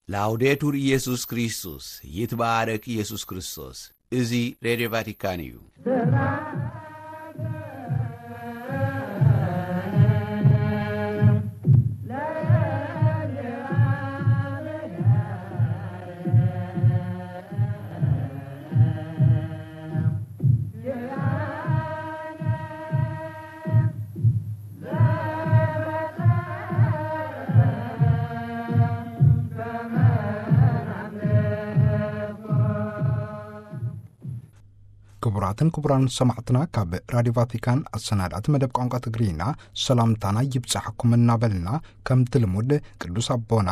ላውዴቱር ኢየሱስ ክርስቶስ፣ ይትባረክ ኢየሱስ ክርስቶስ። እዚ ሬድዮ ቫቲካን እዩ። ክቡራትን ክቡራን ሰማዕትና፣ ካብ ራዲዮ ቫቲካን ኣሰናዳእቲ መደብ ቋንቋ ትግርኛ ሰላምታና ይብጻሕኩም እናበልና፣ ከምቲ ልሙድ ቅዱስ ኣቦና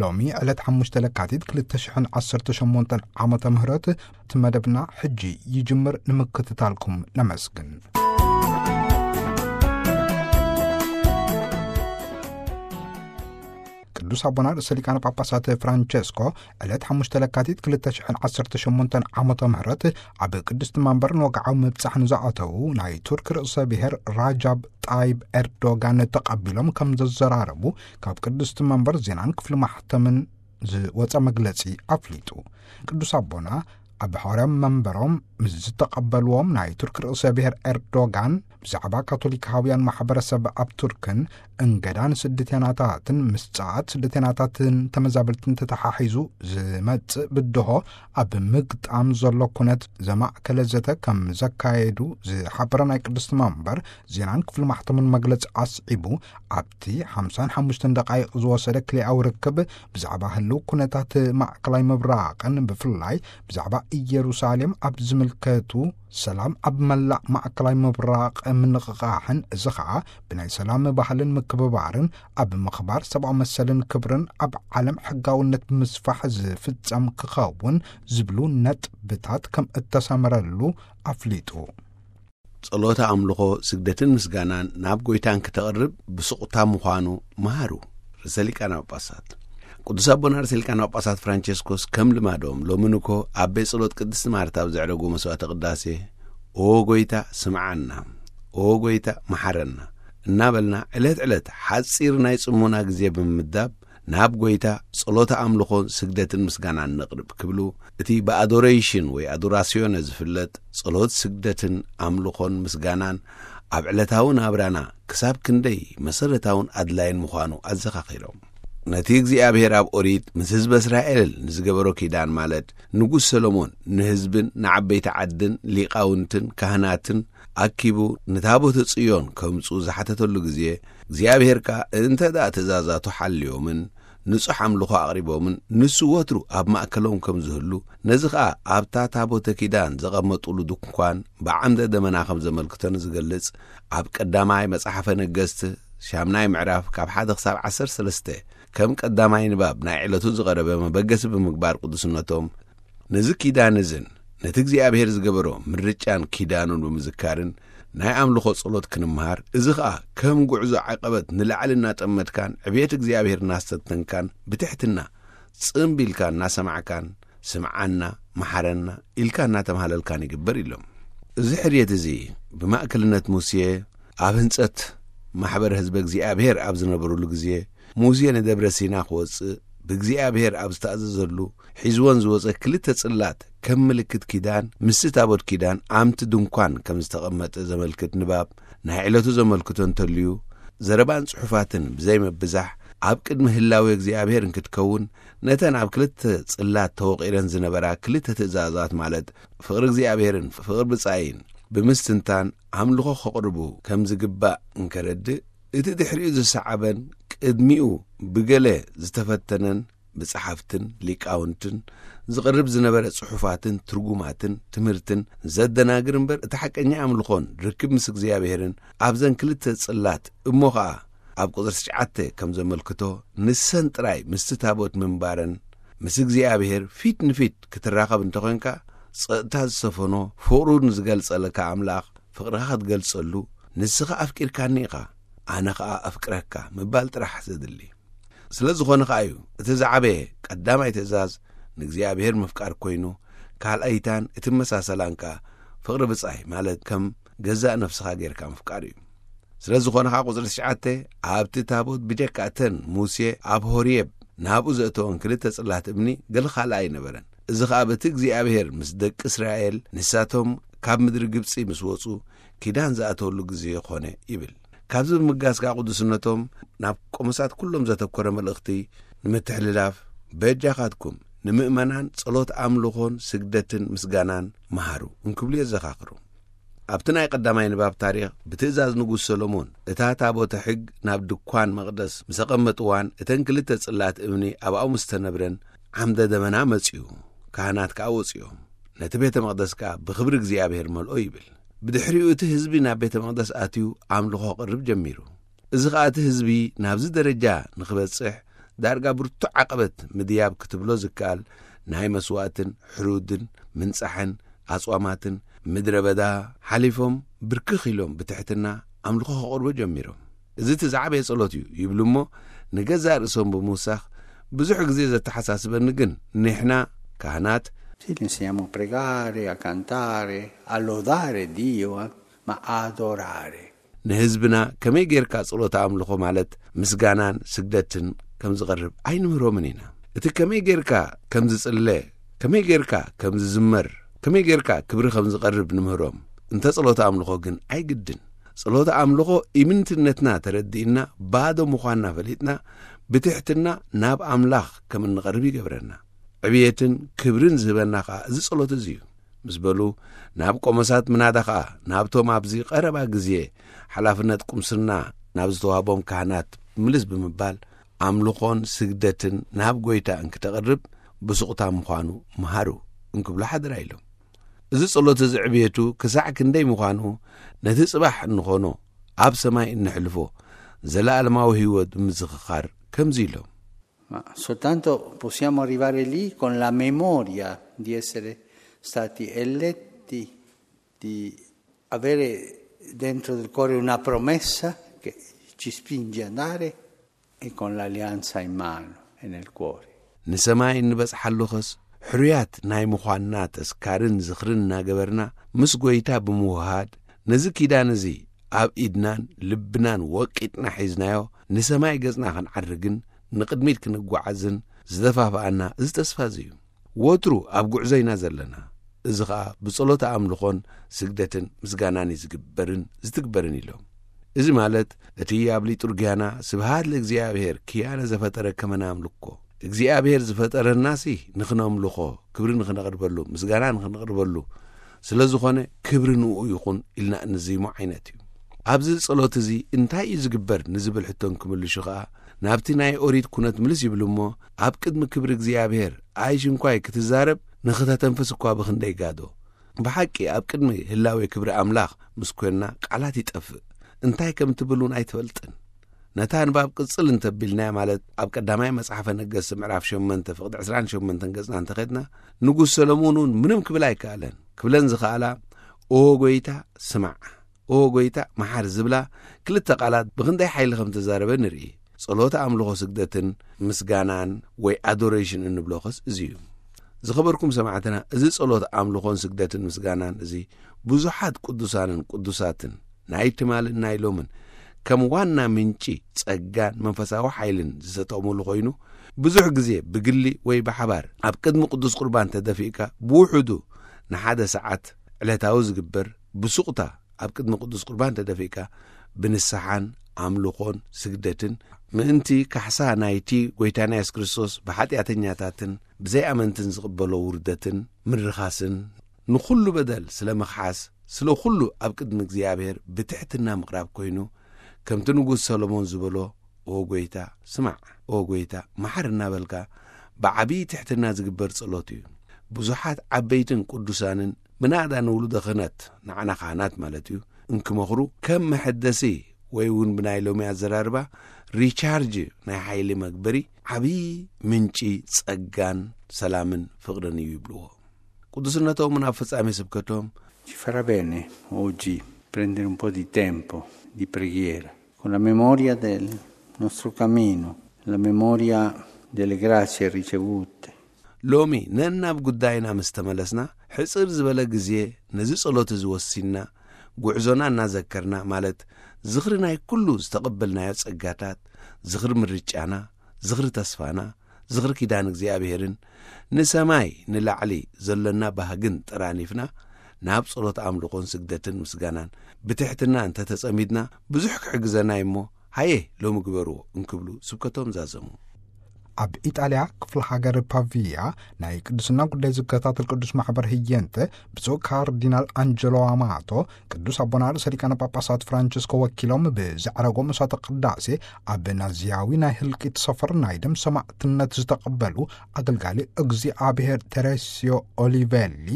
ሎሚ ዕለት ሓሙሽተ ለካቲት ክልተ ሽሕን ዓሰርተ ሸሞንተን ዓመተ ምህረት እቲ መደብና ሕጂ ይጅምር። ንምክትታልኩም ነመስግን። ቅዱስ ኣቦና ርእሰ ሊቃነ ጳጳሳት ፍራንቸስኮ ዕለት ሓሙሽተ ለካቲት ክልተ ሽሕን ዓሰርተ ሸሞንተን ዓመተ ምህረት ኣብ ቅድስቲ መንበር ንወግዓዊ ምብጻሕ ንዝኣተዉ ናይ ቱርክ ርእሰ ብሔር ራጃብ ጣይብ ኤርዶጋን ተቐቢሎም ከም ዘዘራረቡ ካብ ቅድስቲ መንበር ዜናን ክፍሊ ማሕተምን ዝወጸ መግለጺ ኣፍሊጡ። ቅዱስ ኣቦና ኣብ ሓዋርያዊ መንበሮም ምስ ዝተቐበልዎም ናይ ቱርክ ርእሰ ብሔር ኤርዶጋን ብዛዕባ ካቶሊካውያን ማሕበረሰብ ኣብ ቱርክን እንገዳን ስደተናታትን ምስ ጸዓት ስደተናታትን ተመዛበልትን ተተሓሒዙ ዝመጽእ ብድሆ ኣብ ምግጣም ዘሎ ኩነት ዘማእከለ ዘተ ከም ዘካየዱ ዝሓበረ ናይ ቅድስቲ መንበር ዜናን ክፍሊ ማሕተምን መግለጺ ኣስዒቡ፣ ኣብቲ ሓምሳን ሓሙሽተን ደቃይቕ ዝወሰደ ክልኣዊ ርክብ ብዛዕባ ህልው ኩነታት ማእከላይ ምብራቕን ብፍላይ ብዛዕባ ኢየሩሳሌም ኣብ ዝምልከቱ ሰላም ኣብ መላእ ማእከላይ ምብራቕ ምንቕቓሕን፣ እዚ ኸኣ ብናይ ሰላም ባህልን ምክብባርን ኣብ ምኽባር ሰብኣዊ መሰልን ክብርን ኣብ ዓለም ሕጋውነት ብምስፋሕ ዝፍጸም ክኸውን ዝብሉ ነጥብታት ከም እተሰመረሉ ኣፍሊጡ። ጸሎተ ኣምልኾ፣ ስግደትን ምስጋናን ናብ ጎይታን ክተቕርብ ብስቑታ ምዃኑ መሃሩ ርእሰ ሊቃነ ጳጳሳት። ቅዱስ ኣቦና ርእሰ ሊቃነ ጳጳሳት ፍራንቸስኮስ ከም ልማዶም ሎሚ ንኮ ኣብ ቤት ጸሎት ቅድስቲ ማርታ ኣብ ዘዕረጉ መስዋዕተ ቅዳሴ፣ "ኦ ጎይታ ስምዓና፣ ኦ ጎይታ መሓረና" እናበልና ዕለት ዕለት ሓጺር ናይ ጽሞና ግዜ ብምምዳብ ናብ ጎይታ ጸሎተ ኣምልኾን ስግደትን ምስጋናን ነቕርብ ክብሉ፣ እቲ ብኣዶሬሽን ወይ ኣዶራስዮነ ዝፍለጥ ጸሎት፣ ስግደትን ኣምልኾን ምስጋናን ኣብ ዕለታዊ ናብራና ክሳብ ክንደይ መሰረታውን ኣድላይን ምዃኑ ኣዘኻኺሮም። ነቲ እግዚኣብሔር ኣብ ኦሪት ምስ ህዝበ እስራኤል ንዝገበሮ ኪዳን፣ ማለት ንጉስ ሰሎሞን ንህዝብን ንዓበይቲ ዓድን ሊቃውንትን ካህናትን ኣኪቡ ንታቦተ ጽዮን ከምጽኡ ዝሓተተሉ ግዜ፣ እግዚኣብሔር ከኣ እንተ ደኣ ትእዛዛቱ ሓልዮምን ንጹሕ ኣምልኾ ኣቕሪቦምን ንሱ ወትሩ ኣብ ማእከሎም ከም ዝህሉ፣ ነዚ ኸኣ ኣብታ ታቦተ ኪዳን ዘቐመጡሉ ድንኳን ብዓምደ ደመና ከም ዘመልክቶ ንዝገልጽ፣ ኣብ ቀዳማይ መጽሓፈ ነገስት ሻምናይ ምዕራፍ ካብ ሓደ ክሳብ ዓሰርተ ሰለስተ ከም ቀዳማይ ንባብ ናይ ዕለቱ ዝቐረበ መበገሲ ብምግባር ቅዱስነቶም፣ ነዚ ኪዳን እዝን ነቲ እግዚኣብሔር ዝገበሮ ምርጫን ኪዳኑን ብምዝካርን ናይ ኣምልኾ ጸሎት ክንምሃር፣ እዚ ኸኣ ከም ጉዕዞ ዓቐበት ንላዕሊ እናጠመትካን ዕብየት እግዚኣብሔር እናስተንተንካን ብትሕትና ጽምብ ኢልካ እናሰማዕካን "ስምዓና፣ መሓረና" ኢልካ እናተማህለልካን ይግበር ኢሎም። እዚ ሕርየት እዚ ብማእከልነት ሙሴ ኣብ ህንጸት ማሕበር ህዝበ እግዚኣብሔር ኣብ ዝነበሩሉ ግዜ፣ ሙሴ ንደብረ ሲና ክወጽእ ብእግዚኣብሔር ኣብ ዝተኣዘዘሉ፣ ሒዝወን ዝወጸ ክልተ ጽላት ከም ምልክት ኪዳን ምስቲ ታቦት ኪዳን ኣብቲ ድንኳን ከም ዝተቐመጠ ዘመልክት ንባብ ናይ ዕለቱ ዘመልክቶ እንተልዩ፣ ዘረባን ጽሑፋትን ብዘይምብዛሕ ኣብ ቅድሚ ህላዌ እግዚኣብሔር እንክትከውን፣ ነተን ኣብ ክልተ ጽላት ተወቒረን ዝነበራ ክልተ ትእዛዛት፣ ማለት ፍቕሪ እግዚኣብሔርን ፍቕሪ ብጻይን ብምስትንታን ኣምልኾ ከቕርቡ ከም ዝግባእ እንከረድእ፣ እቲ ድሕሪኡ ዝሰዓበን ቅድሚኡ ብገለ ዝተፈተነን ብጸሓፍትን ሊቃውንትን ዝቐርብ ዝነበረ ጽሑፋትን ትርጉማትን ትምህርትን ዘደናግር እምበር፣ እቲ ሓቀኛ ኣምልኾን ርክብ ምስ እግዚኣብሔርን ኣብዘን ክልተ ጽላት እሞ ኸኣ ኣብ ቁጽሪ ትሽዓተ ከም ዘመልክቶ፣ ንሰን ጥራይ ምስቲ ታቦት ምንባረን፣ ምስ እግዚኣብሔር ፊት ንፊት ክትራኸብ እንተኾይንካ፣ ጸጥታ ዝሰፈኖ ፍቕሩ ንዝገልጸለካ ኣምላኽ ፍቕርኻ ክትገልጸሉ፣ "ንስኻ ኣፍቂርካኒ ኢኻ፣ ኣነ ኸኣ ኣፍቅረካ" ምባል ጥራሕ ዘድሊ። ስለ ዝኾነ ኸኣ እዩ እቲ ዝዓበየ ቀዳማይ ትእዛዝ ንእግዚኣብሔር ምፍቃር ኮይኑ፣ ካልኣይታን እትመሳሰላን ከኣ ፍቕሪ ብጻይ፣ ማለት ከም ገዛእ ነፍስኻ ጌርካ ምፍቃር እዩ። ስለ ዝኾነ ኸኣ ቁጽሪ ትሽዓተ፣ ኣብቲ ታቦት ብጀካ እተን ሙሴ ኣብ ሆርየብ ናብኡ ዘእተወን ክልተ ጽላት እምኒ ገለ ካልእ ኣይነበረን። እዚ ኸኣ በቲ እግዚኣብሔር ምስ ደቂ እስራኤል ንሳቶም ካብ ምድሪ ግብጺ ምስ ወጹ ኪዳን ዝኣተወሉ ግዜ ኾነ ይብል። ካብዚ ብምጋስ ከኣ ቅዱስነቶም ናብ ቆሞሳት ኩሎም ዘተኮረ መልእኽቲ ንምትሕልላፍ፣ በጃኻትኩም ንምእመናን ጸሎት ኣምልኾን ስግደትን ምስጋናን መሃሩ እንክብሉ የዘኻኽሩ። ኣብቲ ናይ ቀዳማይ ንባብ ታሪኽ ብትእዛዝ ንጉስ ሰሎሞን እታ ታቦተ ሕግ ናብ ድኳን መቕደስ ምስ ኣቐመጥዋን እተን ክልተ ጽላት እምኒ ኣብኣ ምስ ተነብረን ዓምደ ደመና መጺኡ፣ ካህናት ከኣ ወጺኦም፣ ነቲ ቤተ መቕደስ ከኣ ብኽብሪ እግዚኣብሔር መልኦ ይብል። ብድሕሪኡ እቲ ህዝቢ ናብ ቤተ መቕደስ ኣትዩ ኣምልኾ ክቕርብ ጀሚሩ። እዚ ኸኣ እቲ ህዝቢ ናብዚ ደረጃ ንኽበጽሕ ዳርጋ ብርቱዕ ዓቐበት ምድያብ ክትብሎ ዝከኣል ናይ መስዋእትን ሕሩድን ምንጻሕን ኣጽዋማትን ምድረ በዳ ሓሊፎም ብርክኽ ኢሎም ብትሕትና ኣምልኾ ከቕርቡ ጀሚሮም። እዚ እቲ ዝዓበየ ጸሎት እዩ ይብሉ እሞ ንገዛእ ርእሶም ብምውሳኽ ብዙሕ ግዜ ዘተሓሳስበኒ ግን ንሕና ካህናት Sì, li insegniamo a pregare, a cantare, a lodare Dio, eh, ma a adorare. ንህዝብና ከመይ ጌርካ ጸሎት ኣምልኾ ማለት ምስጋናን ስግደትን ከም ዝቐርብ ኣይንምህሮምን ኢና። እቲ ከመይ ጌርካ ከም ዝጽለ፣ ከመይ ጌርካ ከም ዝዝመር፣ ከመይ ጌርካ ክብሪ ከም ዝቐርብ ንምህሮም። እንተ ጸሎት ኣምልኾ ግን ኣይግድን። ጸሎት ኣምልኾ ኢምንትነትና ተረዲእና ባዶ ምዃንና ፈሊጥና ብትሕትና ናብ ኣምላኽ ከም እንቐርብ ይገብረና። ዕብየትን ክብርን ዝህበና ኸኣ እዚ ጸሎት እዚ እዩ ምስ በሉ ናብ ቆሞሳት ምናዳ ኸኣ ናብቶም ኣብዚ ቀረባ ግዜ ሓላፍነት ቁምስና ናብ ዝተዋህቦም ካህናት ምልስ ብምባል ኣምልኾን ስግደትን ናብ ጎይታ እንክተቕርብ ብሱቕታ ምዃኑ ምሃሩ እንክብሉ ሓደራ ኢሎም። እዚ ጸሎት እዚ ዕብየቱ ክሳዕ ክንደይ ምዃኑ ነቲ ጽባሕ እንኾኖ ኣብ ሰማይ እንሕልፎ ዘለኣለማዊ ህይወት ብምዝኽኻር ከምዚ ኢሎም። Ma soltanto possiamo arrivare lì con la memoria di essere stati eletti, di avere dentro del cuore una promessa che ci spinge ad andare e con l'alleanza in mano e nel cuore. ንሰማይ እንበጽሓሉ ኸስ ሕሩያት ናይ ምዃንና ተስካርን ዝኽርን እናገበርና ምስ ጎይታ ብምውሃድ ነዚ ኪዳን እዚ ኣብ ኢድናን ልብናን ወቂጥና ሒዝናዮ ንሰማይ ገጽና ክንዓርግን ንቕድሚት ክንጓዓዝን ዝደፋፍኣና እዚ ተስፋ እዚ እዩ። ወትሩ ኣብ ጉዕዞ ኢና ዘለና። እዚ ኸኣ ብጸሎት ኣምልኾን ስግደትን ምስጋናን እዩ ዝግበርን ዝትግበርን ኢሎም። እዚ ማለት እቲ ኣብ ሊጡርጊያና ስብሃት ለእግዚኣብሔር ክያነ ዘፈጠረ ከመናምልኮ እግዚኣብሔር ዝፈጠረናሲ ንኽነምልኾ ክብሪ ንኽነቕርበሉ ምስጋና ንኽንቕርበሉ ስለ ዝኾነ ክብሪ ንኡ ይኹን ኢልና እንዝይሞ ዓይነት እዩ። ኣብዚ ጸሎት እዚ እንታይ እዩ ዝግበር ንዝብል ሕቶ እንክምልሹ ኸኣ ናብቲ ናይ ኦሪት ኩነት ምልስ ይብሉ እሞ ኣብ ቅድሚ ክብሪ እግዚኣብሔር ኣይሽ እንኳይ ክትዛረብ ንኽተተንፍስ እኳ ብኽንደይ ጋዶ። ብሓቂ ኣብ ቅድሚ ህላዌ ክብሪ ኣምላኽ ምስ ኮንና ቃላት ይጠፍእ። እንታይ ከም ትብል እውን ኣይትፈልጥን። ነታ ንባብ ቅጽል እንተቢልናያ ማለት ኣብ ቀዳማይ መጽሓፈ ነገስት ምዕራፍ ሸሞንተ ፍቕዲ ዕስራን ሸሞንተን ገጽና እንተኸድና ንጉስ ሰሎሞን እውን ምንም ክብል ኣይከኣለን። ክብለን ዝኸኣላ ኦ ጎይታ ስማዕ ኦ ጎይታ መሓር ዝብላ ክልተ ቃላት ብኽንደይ ሓይሊ ከም ተዛረበ ንርኢ። ጸሎት ኣምልኾ ስግደትን ምስጋናን ወይ ኣዶሬሽን እንብሎ ኸስ እዚ እዩ። ዝኸበርኩም ሰማዕትና እዚ ጸሎት ኣምልኾን ስግደትን ምስጋናን እዚ ብዙሓት ቅዱሳንን ቅዱሳትን ናይ ትማልን ናይ ሎምን ከም ዋና ምንጪ ጸጋን መንፈሳዊ ሓይልን ዝተጠቕሙሉ ኮይኑ ብዙሕ ግዜ ብግሊ ወይ ብሓባር ኣብ ቅድሚ ቅዱስ ቁርባን ተደፊእካ ብውሕዱ ንሓደ ሰዓት ዕለታዊ ዝግበር ብሱቕታ ኣብ ቅድሚ ቅዱስ ቁርባን ተደፊእካ ብንስሓን ኣምልኾን ስግደትን ምእንቲ ካሕሳ ናይቲ ጎይታና የሱስ ክርስቶስ ብሓጢኣተኛታትን ብዘይኣመንትን ዝቕበሎ ውርደትን ምርኻስን ንኹሉ በደል ስለ ምኽሓስ ስለ ኩሉ ኣብ ቅድሚ እግዚኣብሔር ብትሕትና ምቕራብ ኮይኑ ከምቲ ንጉስ ሰሎሞን ዝበሎ ኦ ጎይታ ስማዕ ኦ ጎይታ መሓር እናበልካ ብዓብዪ ትሕትና ዝግበር ጸሎት እዩ። ብዙሓት ዓበይትን ቅዱሳንን ምናዳ ንውሉደ ክህነት ንዓና ካህናት ማለት እዩ እንክመኽሩ ከም መሐደሲ ወይ እውን ብናይ ሎሚ ኣዘራርባ ሪቻርጅ ናይ ሓይሊ መግበሪ ዓብዪ ምንጪ ጸጋን ሰላምን ፍቕርን እዩ ይብልዎ። ቅዱስነቶም ናብ ፍጻሜ ስብከቶም Ci farà bene oggi prendere un po' di tempo di preghiera, con la memoria del nostro cammino, la memoria delle grazie ricevute. ሎሚ ነናብ ጉዳይና ምስ ተመለስና ሕጽር ዝበለ ግዜ ነዚ ጸሎት እዚ ወሲንና ጉዕዞና እናዘከርና ማለት ዝኽሪ ናይ ኩሉ ዝተቐበልናዮ ጸጋታት ዝኽሪ ምርጫና ዝኽሪ ተስፋና ዝኽሪ ኪዳን እግዚኣብሔርን ንሰማይ ንላዕሊ ዘሎና ባህግን ጠራኒፍና ናብ ጸሎት ኣምልኾን ስግደትን ምስጋናን ብትሕትና እንተተጸሚድና፣ ብዙሕ ክሕግዘና እዩ እሞ፣ ሃየ ሎሚ ግበርዎ እንክብሉ ስብከቶም ዛዘሙ። ኣብ ኢጣልያ ክፍለ ሃገር ፓቪያ ናይ ቅዱስና ጉዳይ ዝከታተል ቅዱስ ማሕበር ህየንተ ብፁዕ ካርዲናል ኣንጀሎ ኣማቶ ቅዱስ ኣቦና ርእሰ ሊቃነ ጳጳሳት ፍራንቸስኮ ወኪሎም ብዘዕረጎ መስዋዕተ ቅዳሴ ኣብ ናዚያዊ ናይ ህልቂት ሰፈር ናይ ደም ሰማዕትነት ዝተቐበሉ ኣገልጋሊ እግዚኣብሔር ቴሬሲዮ ኦሊቬሊ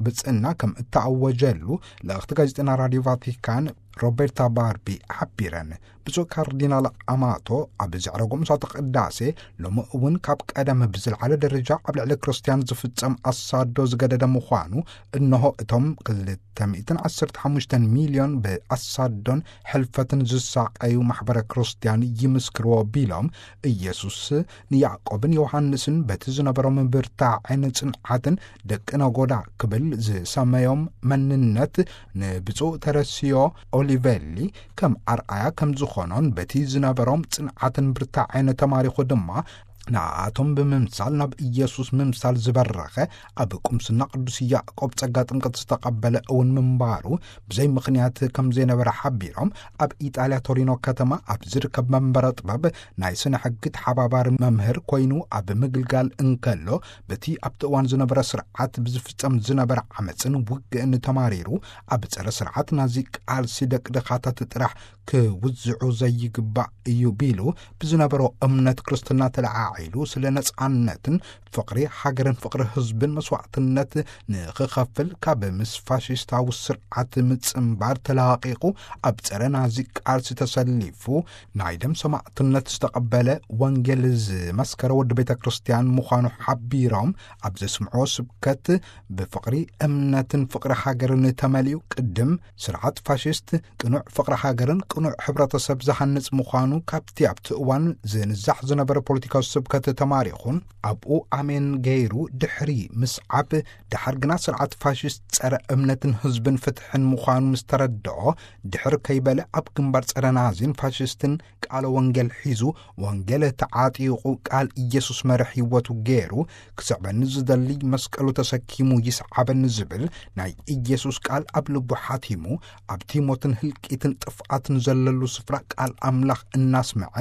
ብጽና ከም እተኣወጀሉ ልእኽቲ ጋዜጠና ራዲዮ ቫቲካን ሮቤርታ ባርቢ ሓቢረን። ብፁዕ ካርዲናል ኣማቶ ኣብ ዘዕረጎ መስዋዕተ ቅዳሴ ሎሚ እውን ካብ ቀደም ብዝለዓለ ደረጃ ኣብ ልዕሊ ክርስትያን ዝፍጸም ኣሳዶ ዝገደደ ምዃኑ፣ እንሆ እቶም ክልተ ሚእትን ዓሰርተ ሓሙሽተን ሚልዮን ብኣሳዶን ሕልፈትን ዝሳቐዩ ማሕበረ ክርስትያን ይምስክርዎ ቢሎም፣ ኢየሱስ ንያዕቆብን ዮሃንስን በቲ ዝነበሮም ብርታዕን ጽንዓትን ደቂ ነጎዳ ክብል ዝሰመዮም መንነት ንብፁዕ ተረሲዮ ኦሊቬሊ ከም ኣርኣያ ከም ዝኾኖን በቲ ዝነበሮም ጽንዓትን ብርታዕን ተማሪኹ ድማ ንኣቶም ብምምሳል ናብ ኢየሱስ ምምሳል ዝበረኸ ኣብ ቁምስና ቅዱስ ያዕቆብ ጸጋ ጥምቀት ዝተቐበለ እውን ምንባሩ ብዘይ ምኽንያት ከም ዘይነበረ ሓቢሮም፣ ኣብ ኢጣልያ ቶሪኖ ከተማ ኣብ ዝርከብ መንበረ ጥበብ ናይ ስነ ሕጊ ተሓባባሪ መምህር ኮይኑ ኣብ ምግልጋል እንከሎ፣ በቲ ኣብቲ እዋን ዝነበረ ስርዓት ብዝፍጸም ዝነበረ ዓመጽን ውግእን ተማሪሩ ኣብ ጸረ ስርዓት ናዚ ቃልሲ ደቅድኻታት ጥራሕ ክውዝዑ ዘይግባእ እዩ ቢሉ፣ ብዝነበሮ እምነት ክርስትና ተለዓዒሉ ስለ ነጻነትን ፍቕሪ ሃገርን ፍቕሪ ህዝብን መስዋዕትነት ንኽኸፍል ካብ ምስ ፋሽስታዊ ስርዓት ምጽንባር ተላቒቑ ኣብ ጸረ ናዚ ቃልሲ ተሰሊፉ ናይ ደም ሰማዕትነት ዝተቐበለ ወንጌል ዝመስከረ ወዲ ቤተ ክርስቲያን ምዃኑ ሓቢሮም ኣብ ዘስምዕዎ ስብከት ብፍቕሪ እምነትን ፍቕሪ ሃገርን ተመሊኡ ቅድም ስርዓት ፋሽስት ቅኑዕ ፍቕሪ ሃገርን ቅኑዕ ሕብረተሰብ ዝሃንጽ ምዃኑ ካብቲ ኣብቲ እዋን ዝንዛሕ ዝነበረ ፖለቲካዊ ስብከት ተማሪኹን ኣብኡ ኣሜን ገይሩ ድሕሪ ምስዓብ፣ ደሓር ግና ስርዓት ፋሽስት ጸረ እምነትን ህዝብን ፍትሕን ምዃኑ ምስ ተረድኦ፣ ድሕር ከይበለ ኣብ ግንባር ጸረ ናዚን ፋሽስትን ቃለ ወንጌል ሒዙ ወንጌል ተዓጢቑ ቃል ኢየሱስ መርሕ ህይወቱ ገይሩ ክስዕበኒ ዝደሊ መስቀሉ ተሰኪሙ ይስዓበኒ ዝብል ናይ ኢየሱስ ቃል ኣብ ልቡ ሓቲሙ ኣብቲ ሞትን ህልቂትን ጥፍኣትን ዘለሉ ስፍራ ቃል ኣምላኽ እናስምዐ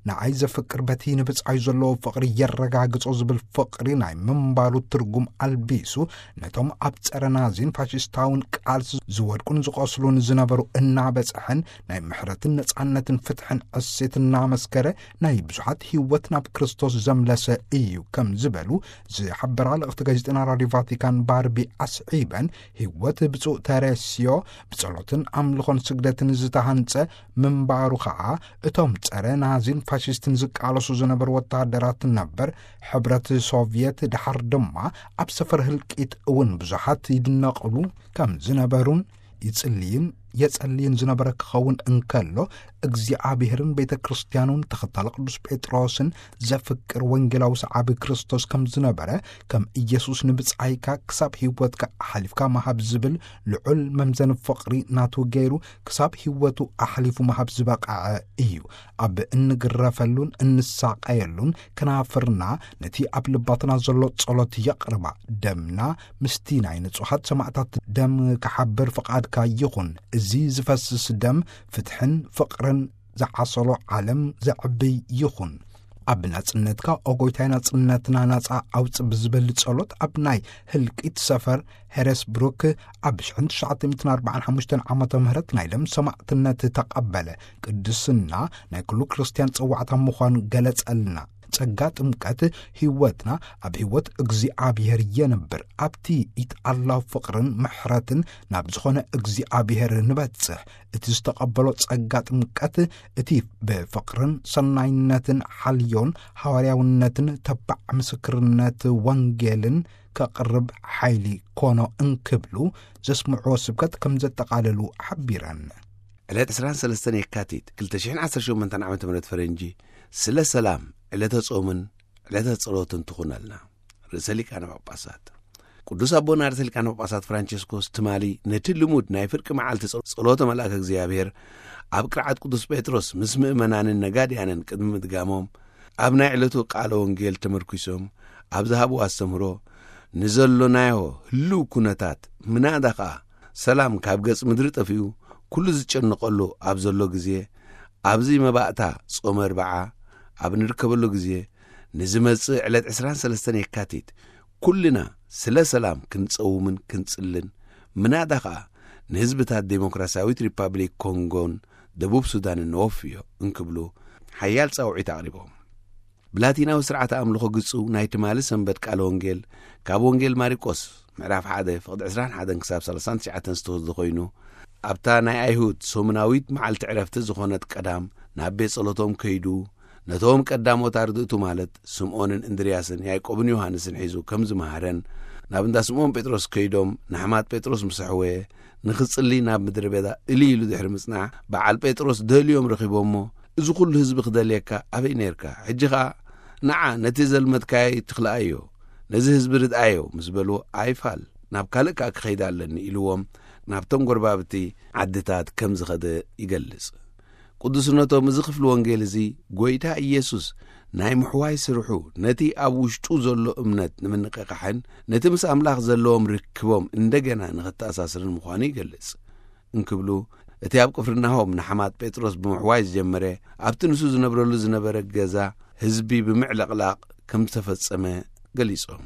ንኣይ ዘፍቅር በቲ ንብጻዩ ዘለዎ ፍቕሪ የረጋግጾ ዝብል ፍቕሪ ናይ ምንባሩ ትርጉም ኣልቢሱ ነቶም ኣብ ጸረ ናዚን ፋሽስታውን ቃልሲ ዝወድቁን ዝቖስሉን ዝነበሩ እናበጽሐን ናይ ምሕረትን ነጻነትን ፍትሕን ዕሴት እናመስከረ ናይ ብዙሓት ህይወት ናብ ክርስቶስ ዘምለሰ እዩ ከም ዝበሉ ዝሓበራ ልእኽቲ ጋዜጠና ራዲዮ ቫቲካን ባርቢ ኣስዒበን፣ ህይወት ብፁዕ ተረስዮ ብጸሎትን ኣምልኾን ስግደትን ዝተሃንጸ ምንባሩ ኸኣ እቶም ጸረ ናዚን ፋሽስትን ዝቃለሱ ዝነበሩ ወተሃደራት ነበር ሕብረት ሶቭየት ደሓር ድማ ኣብ ሰፈር ህልቂት እውን ብዙሓት ይድነቕሉ ከም ዝነበሩን ይጽልይን የጸልይን ዝነበረ ክኸውን እንከሎ እግዚኣብሔርን ቤተ ክርስቲያኑን ተኸታሊ ቅዱስ ጴጥሮስን ዘፍቅር ወንጌላዊ ሰዓቢ ክርስቶስ ከም ዝነበረ ከም ኢየሱስ ንብጻይካ ክሳብ ህይወትካ ኣሕሊፍካ መሃብ ዝብል ልዑል መምዘኒ ፍቕሪ ናቱ ገይሩ ክሳብ ህይወቱ ኣሕሊፉ መሃብ ዝበቕዐ እዩ። ኣብ እንግረፈሉን እንሳቐየሉን ከናፍርና ነቲ ኣብ ልባትና ዘሎ ጸሎት የቕርባ። ደምና ምስቲ ናይ ንጹሓት ሰማዕታት ደም ክሓብር ፍቓድካ ይኹን። እዚ ዝፈስስ ደም ፍትሕን ፍቕርን ዝዓሰሎ ዓለም ዘዕብይ ይኹን። ኣብ ናጽነትካ ኦጎይታይ ናጽነትና ናጻ ኣውጽእ ብዝብል ጸሎት ኣብ ናይ ህልቂት ሰፈር ሄረስብሩክ ኣብ ሽሕን ትሽዓተ ሚእትን ኣርባዓን ሓሙሽተን ዓመተ ምህረት ናይ ደም ሰማዕትነት ተቐበለ። ቅድስና ናይ ኩሉ ክርስትያን ጽዋዕታ ምዃኑ ገለጸልና። ጸጋ ጥምቀት ህይወትና ኣብ ህይወት እግዚኣብሔር የንብር። ኣብቲ ኢትኣላው ፍቕርን ምሕረትን ናብ ዝኾነ እግዚኣብሔር ንበጽሕ። እቲ ዝተቐበሎ ጸጋ ጥምቀት እቲ ብፍቕርን ሰናይነትን ሓልዮን ሃዋርያውነትን ተባዕ ምስክርነት ወንጌልን ከቕርብ ሓይሊ ኮኖ እንክብሉ ዘስምዕዎ ስብከት ከም ዘጠቓለሉ ሓቢረን። ዕለት ዕስራን ሰለስተን የካቲት ክልተ ሽሕን ዓሰርተ ሸሞንተን ዓመተ ምህረት ፈረንጂ ስለ ሰላም ዕለተ ጾምን ዕለተ ጸሎትን ትኹነልና። ርእሰ ሊቃነ ጳጳሳት ቅዱስ ኣቦና ርእሰ ሊቃነ ጳጳሳት ፍራንቸስኮስ ትማሊ ነቲ ልሙድ ናይ ፍርቂ መዓልቲ ጸ-፣ ጸሎተ መልኣከ እግዚኣብሔር ኣብ ቅርዓት ቅዱስ ጴጥሮስ ምስ ምእመናንን ነጋድያንን ቅድሚ ምድጋሞም፣ ኣብ ናይ ዕለቱ ቃለ ወንጌል ተመርኲሶም ኣብ ዝሃብዎ ኣስተምህሮ፣ ንዘሎናዮ ህልው ኩነታት፣ ምናዳ ኸኣ ሰላም ካብ ገጽ ምድሪ ጠፊኡ ኩሉ ዝጨነቐሉ ኣብ ዘሎ ግዜ፣ ኣብዚ መባእታ ጾመ ኣርብዓ ኣብ ንርከበሉ ግዜ፣ ንዝመጽእ ዕለት ዕስራን ሰለስተን የካቲት ኩልና ስለ ሰላም ክንጸውምን ክንጽልን፣ ምናዳ ኸኣ ንህዝብታት ዴሞክራሲያዊት ሪፓብሊክ ኮንጎን ደቡብ ሱዳንን ነወፍዮ እንክብሉ ሓያል ጻውዒት ኣቕሪቦም። ብላቲናዊ ስርዓተ ኣምልኾ ግጹ ናይ ትማሊ ሰንበት ቃለ ወንጌል ካብ ወንጌል ማርቆስ ምዕራፍ ሓደ ፍቕዲ ዕስራን ሓደን ክሳብ ሰላሳን ትሽዓተን ዝተወስደ ኮይኑ፣ ኣብታ ናይ ኣይሁድ ሰሙናዊት መዓልቲ ዕረፍቲ ዝኾነት ቀዳም ናብ ቤት ጸሎቶም ከይዱ፣ ነቶም ቀዳሞት ኣርድእቱ ማለት ስምዖንን እንድርያስን ያዕቆብን ዮሃንስን ሒዙ ከም ዝመሃረን፣ ናብ እንዳ ስምዖን ጴጥሮስ ከይዶም ንሓማት ጴጥሮስ ምስ ኣሕወየ፣ ንኽጽሊ ናብ ምድረ በዳ እልይ ኢሉ ድሕሪ ምጽናሕ፣ በዓል ጴጥሮስ ደልዮም ረኺቦሞ፣ "እዚ ኹሉ ህዝቢ ክደልየካ ኣበይ ኔርካ? ሕጂ ኸኣ ንዓ ነቲ ዘልመድካይ ትኽልኣዮ፣ ነዚ ህዝቢ ርድኣዮ" ምስ በልዎ፣ "ኣይፋል፣ ናብ ካልእ ከኣ ክኸይድ ኣለኒ" ኢልዎም፣ ናብቶም ጎረባብቲ ዓድታት ከም ዝኸደ ይገልጽ። ቅዱስነቶም እዚ ክፍሊ ወንጌል እዚ፣ ጐይታ ኢየሱስ ናይ ምሕዋይ ስርሑ ነቲ ኣብ ውሽጡ ዘሎ እምነት ንምንቕቓሕን ነቲ ምስ ኣምላኽ ዘለዎም ርክቦም እንደገና ንኽተኣሳስርን ምዃኑ ይገልጽ። እንክብሉ፣ እቲ ኣብ ቅፍርናሆም ንሓማት ጴጥሮስ ብምሕዋይ ዝጀመረ፣ ኣብቲ ንሱ ዝነብረሉ ዝነበረ ገዛ ህዝቢ ብምዕልቕላቕ ከም ዝተፈጸመ ገሊጾም።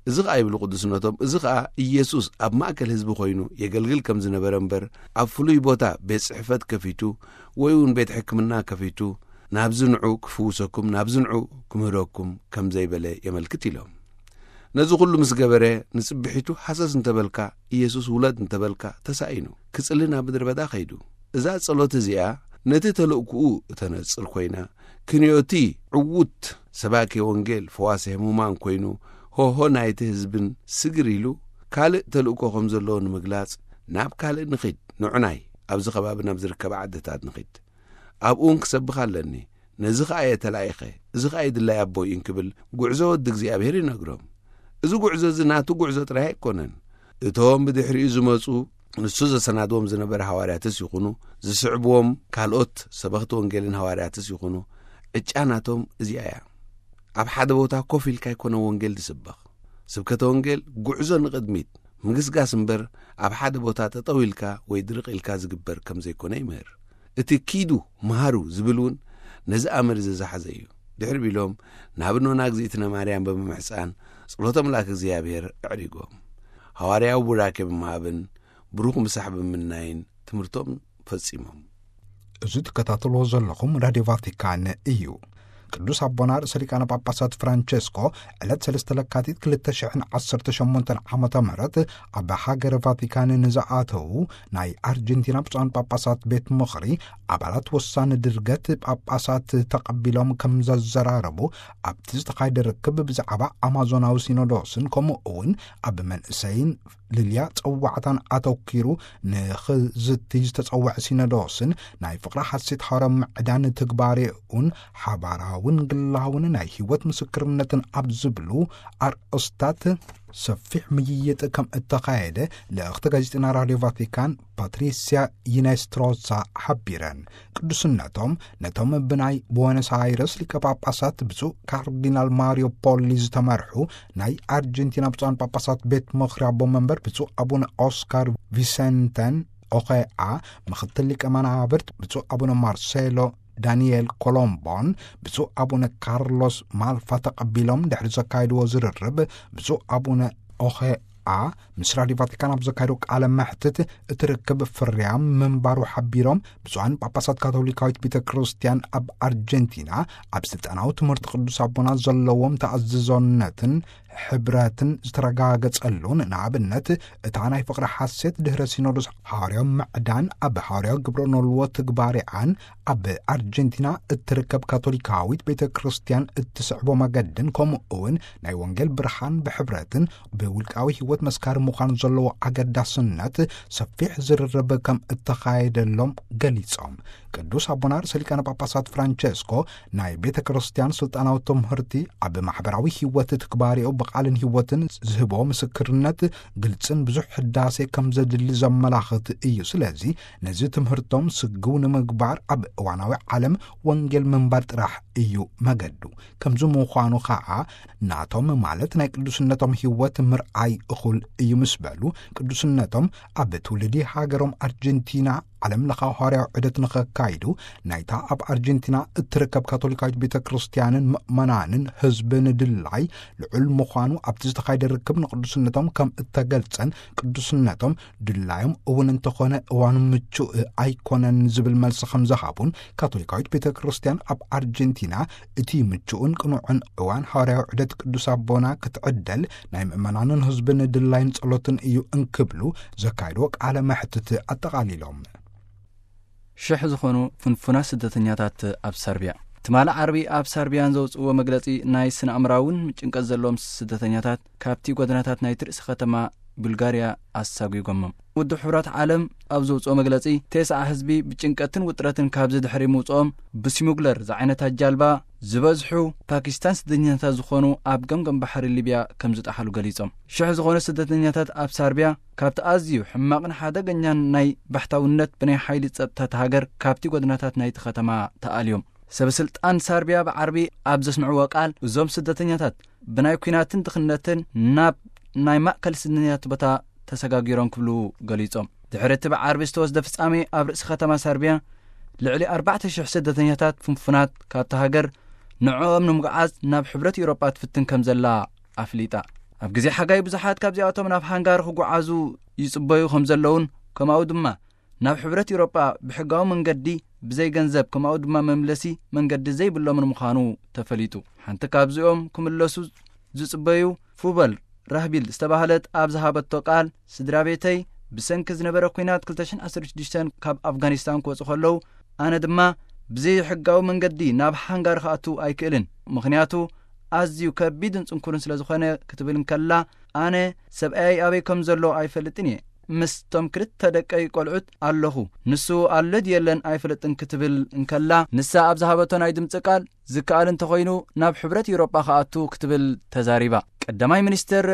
እዚ ኸኣ ይብሉ ቅዱስነቶም፣ እዚ ኸኣ ኢየሱስ ኣብ ማእከል ህዝቢ ኾይኑ የገልግል ከም ዝነበረ እምበር፣ ኣብ ፍሉይ ቦታ ቤት ጽሕፈት ከፊቱ ወይ እውን ቤት ሕክምና ከፊቱ፣ "ናብዚ ንዑ ክፍውሰኩም፣ ናብዚ ንዑ ክምህረኩም" ከም ዘይበለ የመልክት ኢሎም። ነዚ ኹሉ ምስ ገበረ፣ ንጽብሒቱ ሃሰስ እንተበልካ፣ ኢየሱስ ውለድ እንተበልካ፣ ተሳኢኑ፣ ክጽሊ ናብ ምድረ በዳ ኸይዱ። እዛ ጸሎት እዚኣ ነቲ ተልእኩኡ እተነጽር ኮይና፣ ክንዮቲ ዕዉት ሰባኬ ወንጌል፣ ፈዋሲ ህሙማን ኮይኑ፣ ሆሆ ናይቲ ህዝብን ስግር ኢሉ፣ ካልእ ተልእኮ ከም ዘለዎ ንምግላጽ፣ "ናብ ካልእ ንኺድ፣ ንዑናይ፣ ኣብዚ ከባቢ ናብ ዝርከባ ዓድታት ንኺድ። ኣብኡን ክሰብኽ ኣለኒ። ነዚ ኸኣ እየ ተላኢኸ፣ እዚ ኸኣ እዩ ድላይ ኣቦይ" እንክብል፣ ጉዕዞ ወዲ እግዚኣብሔር ይነግሮም። እዚ ጉዕዞ እዚ ናቱ ጉዕዞ ጥራይ ኣይኮነን። እቶም ብድሕሪኡ ዝመጹ፣ ንሱ ዘሰናድዎም ዝነበረ ሃዋርያትስ ይኹኑ፣ ዝስዕብዎም ካልኦት ሰበኽቲ ወንጌልን ሃዋርያትስ ይኹኑ፣ ዕጫ ናቶም እዚኣ እያ። ኣብ ሓደ ቦታ ኮፍ ኢልካ ኣይኮነ ወንጌል ዝስበኽ። ስብከተ ወንጌል ጉዕዞ ንቕድሚት፣ ምግስጋስ እምበር፣ ኣብ ሓደ ቦታ ጠጠው ኢልካ ወይ ድርቕ ኢልካ ዝግበር ከም ዘይኮነ ይምህር። እቲ "ኪዱ፣ መሃሩ" ዝብል እውን ነዚ ኣምር እዚ ዝሓዘ እዩ። ድሕሪ ቢሎም፣ ናብ እኖና እግዚኣብነ ማርያም ብምምሕጻን፣ ጸሎተ መልኣክ እግዚኣብሔር ኣዕሪጎም። ሃዋርያዊ ቡራኬ ብምሃብን ብሩኽ ምሳሕ ብምምናይን ትምህርቶም ፈጺሞም። እዚ ትከታተልዎ ዘለኹም ራድዮ ቫቲካን እዩ። ቅዱስ ኣቦና ርእሰ ሊቃነ ጳጳሳት ፍራንቸስኮ ዕለት ሰለስተ ለካቲት ክልተ ሽሕን ዓሰርተ ሸሞንተን ዓመተ ምህረት ኣብ ሃገረ ቫቲካን ንዝኣተዉ ናይ ኣርጀንቲና ብፁዓን ጳጳሳት ቤት ምኽሪ ኣባላት ወሳኒ ድርገት ጳጳሳት ተቐቢሎም ከም ዘዘራረቡ፣ ኣብቲ ዝተኻየደ ርክብ ብዛዕባ ኣማዞናዊ ሲኖዶስን ከምኡ እውን ኣብ መንእሰይን ልልያ ጸዋዕታን ኣተኪሩ ንኽዝቲ ዝተጸውዐ ሲኖዶስን ናይ ፍቕሪ ሓሴት ሃዋርያዊ ምዕዳን ትግባሬኡን ሓባራውን ግላውን ናይ ህይወት ምስክርነትን ኣብ ዝብሉ ኣርእስታት ሰፊሕ ምይይጥ ከም እተኻየደ ልእኽቲ ጋዜጠና ራድዮ ቫቲካን ፓትሪስያ ይነስትሮሳ ሓቢረን። ቅዱስነቶም ነቶም ብናይ ቦነስ ኣይረስ ሊቀ ጳጳሳት ብፁዕ ካርዲናል ማሪዮ ፖሊ ዝተመርሑ ናይ ኣርጀንቲና ብፁዓን ጳጳሳት ቤት ምኽሪ ኣቦ መንበር ብፁዕ ኣቡነ ኦስካር ቪሰንተን ኦኸኣ፣ ምኽትል ሊቀ መናብርት ብፁዕ ኣቡነ ማርሴሎ ዳንኤል ኮሎምቦን ብፁዕ ኣቡነ ካርሎስ ማልፋ ተቐቢሎም ድሕሪ ዘካየድዎ ዝርርብ፣ ብፁዕ ኣቡነ ኦኸኣ ምስ ራድዮ ቫቲካን ኣብ ዘካየዶ ቃለ መሕትት፣ እቲ ርክብ ፍርያም ምንባሩ ሓቢሮም፣ ብፁዓን ጳጳሳት ካቶሊካዊት ቤተ ክርስቲያን ኣብ ኣርጀንቲና ኣብ ስልጣናዊ ትምህርቲ ቅዱስ ኣቦና ዘለዎም ተኣዝዞነትን ሕብረትን ዝተረጋገጸሉን፣ ንኣብነት እታ ናይ ፍቕሪ ሓሴት ድሕረ ሲኖዶስ ሓዋርያዊ ምዕዳን ኣብ ሓዋርያዊ ግብረ ኖልዎ ትግባሬኣን ኣብ ኣርጀንቲና እትርከብ ካቶሊካዊት ቤተ ክርስቲያን እትስዕቦ መገድን፣ ከምኡ እውን ናይ ወንጌል ብርሃን ብሕብረትን ብውልቃዊ ህይወት መስካሪ ምዃን ዘለዎ ኣገዳስነት ሰፊሕ ዝርርብ ከም እተኻየደሎም ገሊጾም። ቅዱስ ኣቦና ርእሰ ሊቃነ ጳጳሳት ፍራንቸስኮ ናይ ቤተ ክርስቲያን ስልጣናዊ ትምህርቲ ኣብ ማሕበራዊ ህይወት ትግባሬኡ ቃልን ህይወትን ዝህቦ ምስክርነት ግልጽን ብዙሕ ሕዳሴ ከም ዘድሊ ዘመላኽት እዩ። ስለዚ ነዚ ትምህርቶም ስግው ንምግባር ኣብ እዋናዊ ዓለም ወንጌል ምንባር ጥራሕ እዩ መገዱ። ከምዚ ምዃኑ ኸዓ ናቶም ማለት ናይ ቅዱስነቶም ህይወት ምርኣይ እኹል እዩ ምስ በሉ፣ ቅዱስነቶም ኣብ ትውልዲ ሃገሮም ኣርጀንቲና ዓለም ለኻዊ ሃዋርያዊ ዑደት ንኸካይዱ፣ ናይታ ኣብ ኣርጀንቲና እትርከብ ካቶሊካዊት ቤተ ክርስቲያንን ምእመናንን ህዝብን ድላይ ልዑል ምዃኑ ኣብቲ ዝተኻየደ ርክብ ንቅዱስነቶም ከም እተገልጸን፣ ቅዱስነቶም ድላዮም እውን እንተኾነ እዋኑ ምቹእ ኣይኮነን ዝብል መልሲ ከም ዝሃቡን፣ ካቶሊካዊት ቤተ ክርስቲያን ኣብ ኣርጀንቲና እቲ ምቹእን ቅኑዕን እዋን ሃዋርያዊ ዑደት ቅዱስ ኣቦና ክትዕደል ናይ ምእመናንን ህዝብን ድላይን ጸሎትን እዩ እንክብሉ ዘካየድዎ ቃለ መሕትት ኣጠቓሊሎም። ሽሕ ዝኾኑ ፍንፉናት ስደተኛታት ኣብ ሰርቢያ። ትማሊ ዓርቢ ኣብ ሰርቢያን ዘውፅእዎ መግለፂ፣ ናይ ስነ ኣእምራውን ጭንቀት ዘለዎም ስደተኛታት ካብቲ ጎደናታት ናይቲ ርእሲ ከተማ ቡልጋርያ ኣሳጒጎሞም። ውድብ ሕቡራት ዓለም ኣብ ዘውፅኦ መግለፂ፣ ተስዓ ህዝቢ ብጭንቀትን ውጥረትን ካብዚ ድሕሪ ምውፅኦም፣ ብሲሙግለር ዝዓይነታ ጃልባ ዝበዝሑ ፓኪስታን ስደተኛታት ዝኾኑ ኣብ ገምገም ባሕሪ ሊብያ ከም ዝጠሓሉ ገሊጾም። ሽሕ ዝኾኑ ስደተኛታት ኣብ ሳርቢያ ካብቲ ኣዝዩ ሕማቕን ሓደገኛን ናይ ባሕታውነት ብናይ ሓይሊ ጸጥታ እታ ሃገር ካብቲ ጎደናታት ናይቲ ከተማ ተኣልዮም። ሰበ ስልጣን ሳርቢያ ብዓርቢ ኣብ ዘስምዕዎ ቃል፣ እዞም ስደተኛታት ብናይ ኲናትን ድኽነትን ናብ ናይ ማእከል ስደተኛታት ቦታ ተሰጋጊሮም ክብሉ ገሊጾም። ድሕሪ እቲ ብዓርቢ ዝተወስደ ፍጻሜ፣ ኣብ ርእሲ ከተማ ሳርቢያ ልዕሊ ኣርባዕተ ሽሕ ስደተኛታት ፍንፉናት ካብታ ሃገር ንዕኦም ንምጉዓዝ ናብ ሕብረት ኤውሮጳ ትፍትን ከም ዘላ ኣፍሊጣ። ኣብ ግዜ ሓጋይ ብዙሓት ካብዚኣቶም ናብ ሃንጋሪ ክጉዓዙ ይጽበዩ ከም ዘለውን፣ ከምኡ ድማ ናብ ሕብረት ኤውሮጳ ብሕጋዊ መንገዲ ብዘይ ገንዘብ፣ ከምኡ ድማ መምለሲ መንገዲ ዘይብሎምን ምዃኑ ተፈሊጡ። ሓንቲ ካብዚኦም ክምለሱ ዝጽበዩ ፉበል ራህቢል ዝተባህለት ኣብ ዝሃበቶ ቃል፣ ስድራ ቤተይ ብሰንኪ ዝነበረ ኲናት ክልተ ሽሕን ዓሰርተ ሽዱሽተን ካብ ኣፍጋኒስታን ክወጹ ከለዉ፣ ኣነ ድማ ብዘይ ሕጋዊ መንገዲ ናብ ሃንጋሪ ክኣቱ ኣይክእልን፣ ምኽንያቱ ኣዝዩ ከቢድን ጽንኩርን ስለ ዝኾነ ክትብል እንከላ፣ ኣነ ሰብኣየይ ኣበይ ከም ዘሎ ኣይፈልጥን እየ። ምስቶም ክልተ ደቀይ ቆልዑት ኣለኹ። ንሱ ኣሎ ድየለን ኣይፈልጥን ክትብል እንከላ፣ ንሳ ኣብ ዝሃበቶ ናይ ድምጺ ቃል፣ ዝከኣል እንተኾይኑ ናብ ሕብረት ኤውሮጳ ክኣቱ ክትብል ተዛሪባ። ቀዳማይ ሚኒስትር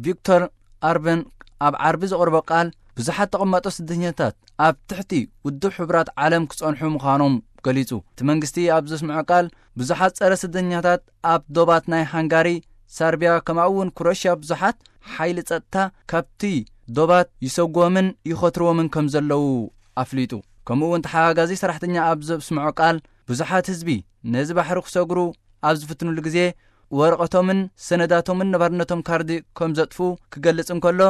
ቪክቶር ኣርበን ኣብ ዓርቢ ዘቕርቦ ቃል፣ ብዙሓት ተቐማጦ ስደተኛታት ኣብ ትሕቲ ውድብ ሕቡራት ዓለም ክጸንሑ ምዃኖም ገሊጹ። እቲ መንግስቲ ኣብ ዘስምዖ ቃል፣ ብዙሓት ጸረ ስደተኛታት ኣብ ዶባት ናይ ሃንጋሪ፣ ሰርቢያ፣ ከምኡ እውን ክሮሽያ ብዙሓት ሓይሊ ጸጥታ ካብቲ ዶባት ይሰጎምን ይኸትርዎምን ከም ዘለዉ ኣፍሊጡ። ከምኡ እውን ተሓጋጋዚ ሰራሕተኛ ኣብ ዘስምዖ ቃል፣ ብዙሓት ህዝቢ ነዚ ባሕሪ ክሰግሩ ኣብ ዝፍትኑሉ ግዜ፣ ወረቐቶምን ሰነዳቶምን ነባርነቶም ካርዲ ከም ዘጥፉ ክገልጽ እንከሎ፣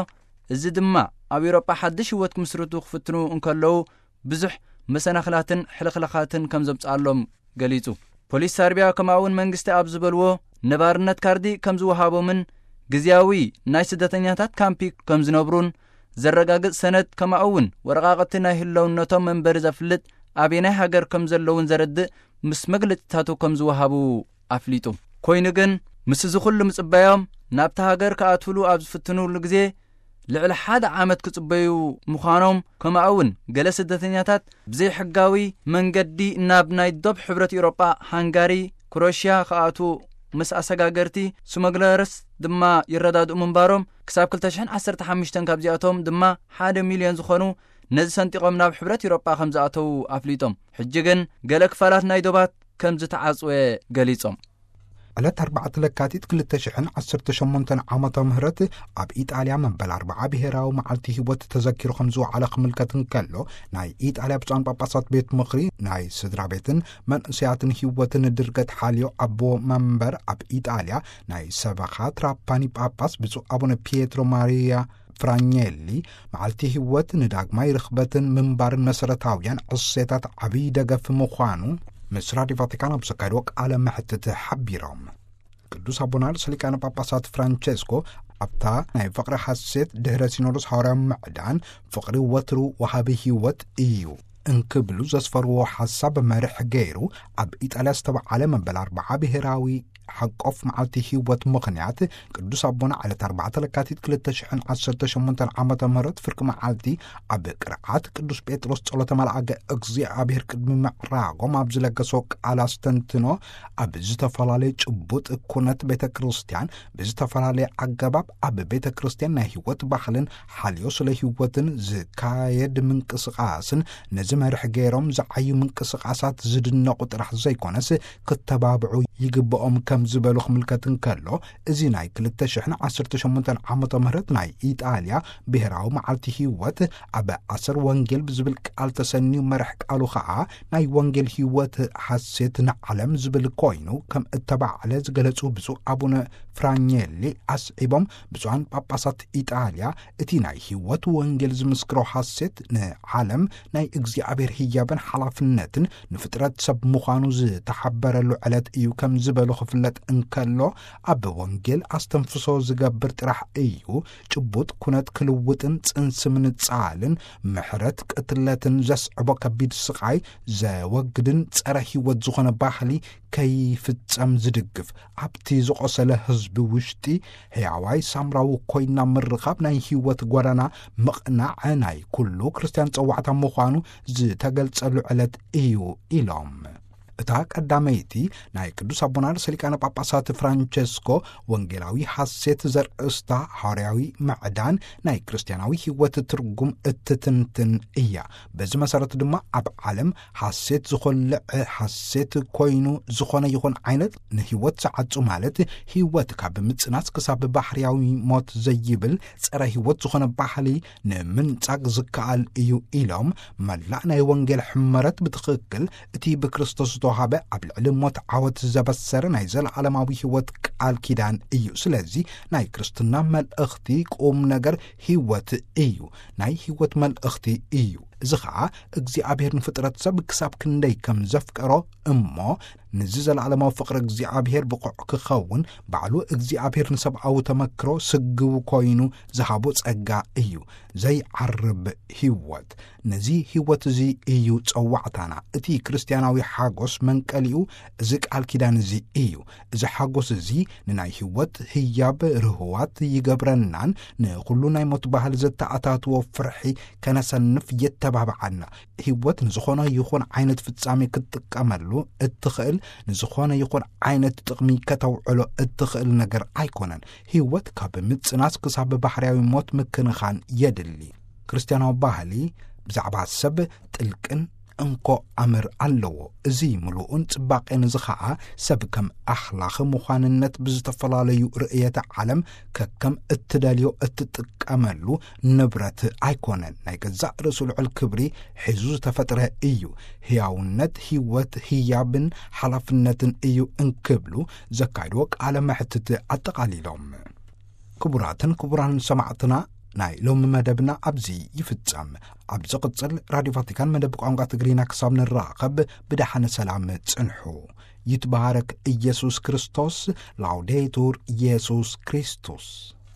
እዚ ድማ ኣብ ኤውሮጳ ሓድሽ ህይወት ክምስርቱ ክፍትኑ እንከለዉ ብዙሕ መሰናኽላትን ሕልኽላኻትን ከም ዘምጽኣሎም ገሊጹ። ፖሊስ ሳርቢያ ከምኡ እውን መንግስቲ ኣብ ዝበልዎ ነባርነት ካርዲ ከም ዝወሃቦምን ግዝያዊ ናይ ስደተኛታት ካምፒ ከም ዝነብሩን ዘረጋግጽ ሰነድ ከምኡ እውን ወረቓቕቲ ናይ ህልውነቶም መንበሪ ዘፍልጥ ኣበየናይ ሃገር ከም ዘለውን ዘረድእ ምስ መግለጺታቱ ከም ዝወሃቡ ኣፍሊጡ። ኮይኑ ግን፣ ምስ እዚ ኩሉ ምጽባዮም ናብታ ሃገር ክኣትውሉ ኣብ ዝፍትኑሉ ግዜ፣ ልዕሊ ሓደ ዓመት ክጽበዩ ምዃኖም፣ ከምኡ እውን ገለ ስደተኛታት ብዘይሕጋዊ መንገዲ ናብ ናይ ዶብ ሕብረት ኤውሮጳ፣ ሃንጋሪ፣ ክሮሽያ ክኣትዉ ምስ ኣሰጋገርቲ ስመግለርስ ድማ ይረዳድኡ ምንባሮም፣ ክሳብ ክልተ ሽሕን ዓሰርተ ሓሙሽተን ካብዚኣቶም ድማ ሓደ ሚልዮን ዝኾኑ ነዚ ሰንጢቖም ናብ ሕብረት ኤውሮጳ ከም ዝኣተዉ ኣፍሊጦም። ሕጂ ግን ገለ ክፋላት ናይ ዶባት ከም ዝተዓጽወ ገሊጾም። ዕለት ኣርባዕተ ለካቲት ክልተ ሽሕን ዓሰርተ ሸሞንተን ዓመተ ምህረት ኣብ ኢጣልያ መበል ኣርብዓ ብሄራዊ መዓልቲ ህይወት ተዘኪሩ ከም ዝወዓለ ክምልከት እንከሎ፣ ናይ ኢጣልያ ብፁዓን ጳጳሳት ቤት ምኽሪ ናይ ስድራ ቤትን መንእሰያትን ህይወትን ድርገት ሓልዮ ኣቦ መንበር ኣብ ኢጣልያ ናይ ሰበኻ ትራፓኒ ጳጳስ ብፁዕ ኣቡነ ፒየትሮ ማሪያ ፍራኘሊ፣ መዓልቲ ህይወት ንዳግማይ ርኽበትን ምንባርን መሰረታውያን ዕሴታት ዓብዪ ደገፍ ምዃኑ ምስ ራድዮ ቫቲካን ኣብ ዘካየድዎ ቃለ መሕትት ሓቢሮም። ቅዱስ ኣቦና ርእሰ ሊቃነ ጳጳሳት ፍራንቸስኮ ኣብታ ናይ ፍቕሪ ሓሴት ድሕረ ሲኖዶስ ሃዋርያዊ ምዕዳን፣ ፍቕሪ ወትሩ ወሃቢ ህይወት እዩ እንክብሉ ዘስፈርዎ ሓሳብ መርሕ ገይሩ፣ ኣብ ኢጣልያ ዝተባዓለ መበል ኣርብዓ ብሄራዊ ሓቆፍ መዓልቲ ህይወት ምኽንያት፣ ቅዱስ ኣቦና ዕለት ኣርባዕተ ለካቲት ክልተ ሽሕን ዓሰርተ ሸሞንተን ዓመተ ምህረት ፍርቂ መዓልቲ ኣብ ቅርዓት ቅዱስ ጴጥሮስ ጸሎተ መልኣከ እግዚኣብሔር ቅድሚ ምዕራጎም ኣብ ዝለገሶ ቃል ኣስተንትኖ፣ ኣብ ዝተፈላለየ ጭቡጥ ኩነት ቤተ ክርስቲያን ብዝተፈላለየ ኣገባብ ኣብ ቤተ ክርስቲያን ናይ ህይወት ባህልን ሓልዮ ስለ ህይወትን ዝካየድ ምንቅስቃስን ነዚ መርሕ ገይሮም ዝዓዩ ምንቅስቃሳት ዝድነቑ ጥራሕ ዘይኮነስ ክተባብዑ ይግብኦም ከም ዝበሉ ክምልከት እንከሎ፣ እዚ ናይ ክልተ ሽሕን ዓሰርተ ሸሞንተን ዓመተ ምህረት ናይ ኢጣልያ ብሔራዊ መዓልቲ ህይወት ኣብ ኣሰር ወንጌል ብዝብል ቃል ተሰንዩ መርሕ ቃሉ ኸዓ ናይ ወንጌል ህይወት ሓሴት ንዓለም ዝብል ኮይኑ ከም እተባዕለ ዝገለጹ ብፁዕ ኣቡነ ፍራኘሊ ኣስዒቦም፣ ብፁዓን ጳጳሳት ኢጣልያ እቲ ናይ ህይወት ወንጌል ዝምስክሮ ሓሴት ንዓለም ናይ እግዚኣብሔር ህያብን ሓላፍነትን ንፍጥረት ሰብ ምዃኑ ዝተሓበረሉ ዕለት እዩ ከም ዝበሉ ክፍለጥ እንከሎ፣ ኣብ ወንጌል ኣስተንፍሶ ዝገብር ጥራሕ እዩ ጭቡጥ ኩነት ክልውጥን ጽንሲ ምንጻልን ምሕረት ቅትለትን ዘስዕቦ ከቢድ ስቓይ ዘወግድን ጸረ ህይወት ዝኾነ ባህሊ ከይፍጸም ዝድግፍ፣ ኣብቲ ዝቖሰለ ህዝቢ ውሽጢ ሕያዋይ ሳምራዊ ኮይና ምርኻብ ናይ ህይወት ጎዳና ምቕናዕ ናይ ኩሉ ክርስትያን ጸዋዕታ ምዃኑ ዝተገልጸሉ ዕለት እዩ ኢሎም። እታ ቀዳመይቲ ናይ ቅዱስ ኣቦና ርእሰ ሊቃነ ጳጳሳት ፍራንቸስኮ ወንጌላዊ ሐሴት ዘርእስታ ሐዋርያዊ ምዕዳን ናይ ክርስትያናዊ ህይወት ትርጉም እትትንትን እያ። በዚ መሰረት ድማ ኣብ ዓለም ሐሴት ዝኾልዕ ሐሴት ኮይኑ ዝኾነ ይኹን ዓይነት ንህይወት ዝዓጹ፣ ማለት ህይወት ካብ ምጽናስ ክሳብ ባህርያዊ ሞት ዘይብል ጸረ ህይወት ዝኾነ ባህሊ ንምንጻግ ዝከኣል እዩ ኢሎም፣ መላእ ናይ ወንጌል ሕመረት ብትኽክል እቲ ብክርስቶስ ዝተዋሃበ ኣብ ልዕሊ ሞት ዓወት ዘበሰረ ናይ ዘለዓለማዊ ህይወት ቃል ኪዳን እዩ። ስለዚ ናይ ክርስትና መልእኽቲ ቁም ነገር ህይወት እዩ። ናይ ህይወት መልእኽቲ እዩ። እዚ ኸዓ እግዚኣብሔር ንፍጥረት ሰብ ክሳብ ክንደይ ከም ዘፍቀሮ እሞ፣ ነዚ ዘለዓለማዊ ፍቕሪ እግዚኣብሔር ብቑዕ ክኸውን ባዕሉ እግዚኣብሔር ንሰብኣዊ ተመክሮ ስግው ኮይኑ ዝሃቦ ጸጋ እዩ። ዘይዓርብ ህይወት። ነዚ ህይወት እዚ እዩ ጸዋዕታና። እቲ ክርስትያናዊ ሓጎስ መንቀሊኡ እዚ ቃል ኪዳን እዚ እዩ። እዚ ሓጎስ እዚ ንናይ ህይወት ህያብ ርህዋት ይገብረናን ንኹሉ ናይ ሞት ባህል ዘተኣታትዎ ፍርሒ ከነሰንፍ የተባብዓና። ህይወት ንዝኾነ ይኹን ዓይነት ፍጻሜ ክትጥቀመሉ እትኽእል፣ ንዝኾነ ይኹን ዓይነት ጥቕሚ ከተውዕሎ እትኽእል ነገር ኣይኮነን። ህይወት ካብ ምጽናስ ክሳብ ባህርያዊ ሞት ምክንኻን የድሊ። ክርስትያናዊ ባህሊ ብዛዕባ ሰብ ጥልቅን እንኮ ኣምር ኣለዎ። እዚ ምሉእን ጽባቄን እዚ ኸዓ ሰብ ከም ኣኽላኽ ምዃንነት ብዝተፈላለዩ ርእየተ ዓለም ከከም እትደልዮ እትጥቀመሉ ንብረት ኣይኮነን። ናይ ገዛእ ርእሱ ልዑል ክብሪ ሒዙ ዝተፈጥረ እዩ። ህያውነት፣ ህይወት፣ ህያብን ሓላፍነትን እዩ እንክብሉ ዘካይድዎ ቃለ መሕትት ኣጠቓሊሎም። ክቡራትን ክቡራን ሰማዕትና፣ ናይ ሎሚ መደብና ኣብዚ ይፍጸም። ኣብ ዝቕጽል ራድዮ ቫቲካን መደብ ቋንቋ ትግርኛ ክሳብ ንራኸብ ብደሓነ ሰላም ጽንሑ። ይትባረክ ኢየሱስ ክርስቶስ። ላውዴቱር ኢየሱስ ክርስቶስ።